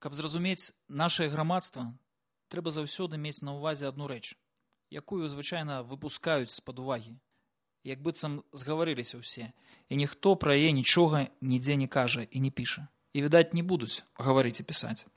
Каб зразумець нашае грамадства, трэба заўсёды мець на ўвазе адну рэч, якую звычайна выпускаюць з-пад увагі. Як быццам згаварыліся ўсе, і ніхто пра яе нічога нідзе не кажа і не піша. І, відаць, не будуць гаварыць і пісаць.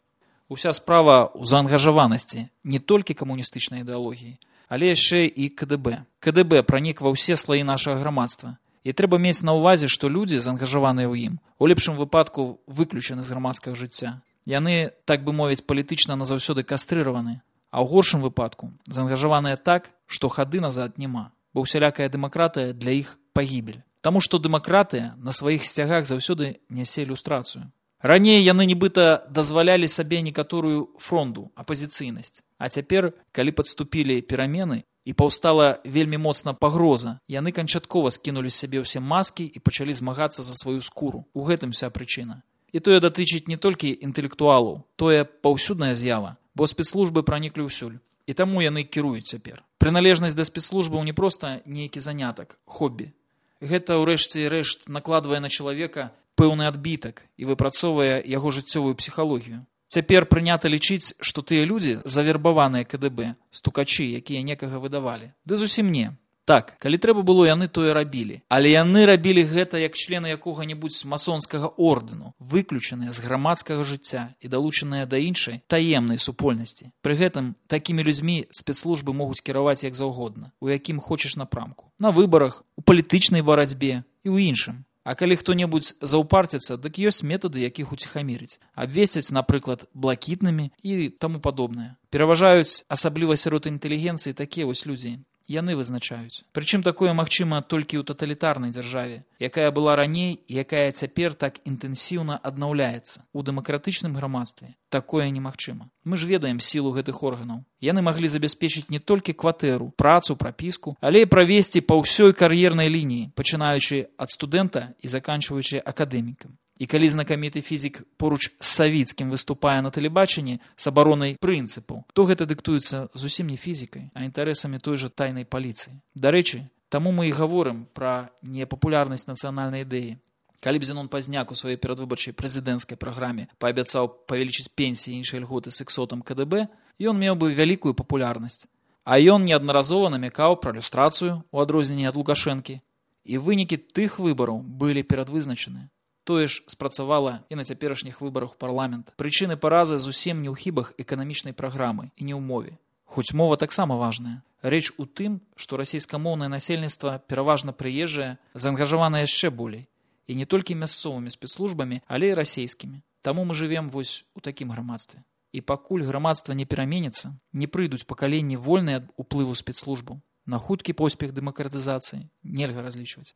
Уся справа ў заангажаванасці не толькі камуністычнай ідэалогіі, але яшчэ і КДБ. КДБ пранік ва ўсе слаі нашага грамадства. І трэба мець на ўвазе, што людзі, заангажаваныя ў ім, у лепшым выпадку выключаны з грамадскага жыцця. Яны, так бы мовіць, палітычна назаўсёды кастрыраваны, а ў горшым выпадку заангажаваныя так, што хады назад няма, бо ўсялякая дэмакратыя для іх пагібель. Таму што дэмакратыя на сваіх сцягах заўсёды нясе ілюстрацыю. Раней яны нібыта дазвалялі сабе некаторую фронду, апазіцыйнасць. А цяпер, калі падступілі перамены і паўстала вельмі моцна пагроза, яны канчаткова скінулі з сябе ўсе маскі і пачалі змагацца за сваю скуру. У гэтым вся прычына. І тое датычыць не толькі інтэлектуалаў, тое паўсюдная з'ява, бо спецслужбы праніклі ўсюль. І таму яны кіруюць цяпер. Прыналежнасць да спецслужбаў не проста нейкі занятак, хоббі. Гэта, ўрэшце рэшт, накладвае на чалавека пэўны адбітак і выпрацоўвае яго жыццёвую псіхалогію. Цяпер прынята лічыць, што тыя людзі, завербаваныя КДБ, стукачы, якія некага выдавалі. Ды зусім не. Так, калі трэба было, яны тое рабілі. Але яны рабілі гэта як члены якога-небудзь масонскага ордэну, выключаныя з грамадскага жыцця і далучаныя да іншай таемнай супольнасці. Пры гэтым такімі людзьмі спецслужбы могуць кіраваць як заўгодна, у якім хочаш напрамку. На выбарах, у палітычнай барацьбе і ў іншым. А калі хто-небудзь заўпарціцца, дык ёсць метады, якіх уціхамірыць. Абвесцяць, напрыклад, блакітнымі і таму падобнае. Пераважаюць, асабліва сярод інтэлігенцыі, такія вось людзі. Яны вызначаюць. Прычым такое магчыма толькі ў таталітарнай дзяржаве, якая была раней і якая цяпер так інтэнсіўна аднаўляецца. У дэмакратычным грамадстве такое немагчыма. Мы ж ведаем сілу гэтых органаў. Яны маглі забяспечыць не толькі кватэру, працу, прапіску, але і правесці па ўсёй кар'ернай лініі, пачынаючы ад студэнта і заканчваючы акадэмікам. І калі знакаміты фізік поруч з Савіцкім выступае на тэлебачанні з абаронай прынцыпаў, то гэта дыктуецца зусім не фізікай, а інтарэсамі той жа тайнай паліцыі. Дарэчы, таму мы і гаворым пра непапулярнасць нацыянальнай ідэі. Калі б Зенон Пазняк у сваёй перадвыбарчай прэзідэнцкай праграме паабяцаў павялічыць пенсіі і іншыя льготы сексотам КДБ, ён меў бы вялікую папулярнасць. А ён неаднаразова намякаў пра люстрацыю, у адрозненні ад Лукашэнкі. І вынікі тых выбараў былі перадвызначаныя. Тое ж спрацавала і на цяперашніх выбарах у парламент. Прычыны паразы зусім не ў хібах эканамічнай праграмы і не ў мове. Хоць мова таксама важная. Рэч у тым, што расійскамоўнае насельніцтва пераважна прыезжае, заангажавана яшчэ болей. І не толькі мясцовымі спецслужбамі, але і расійскімі. Таму мы жывем вось у такім грамадстве. І пакуль грамадства не пераменіцца, не прыйдуць пакаленні вольныя ад уплыву спецслужбаў. На хуткі поспех дэмакратызацыі нельга разлічваць.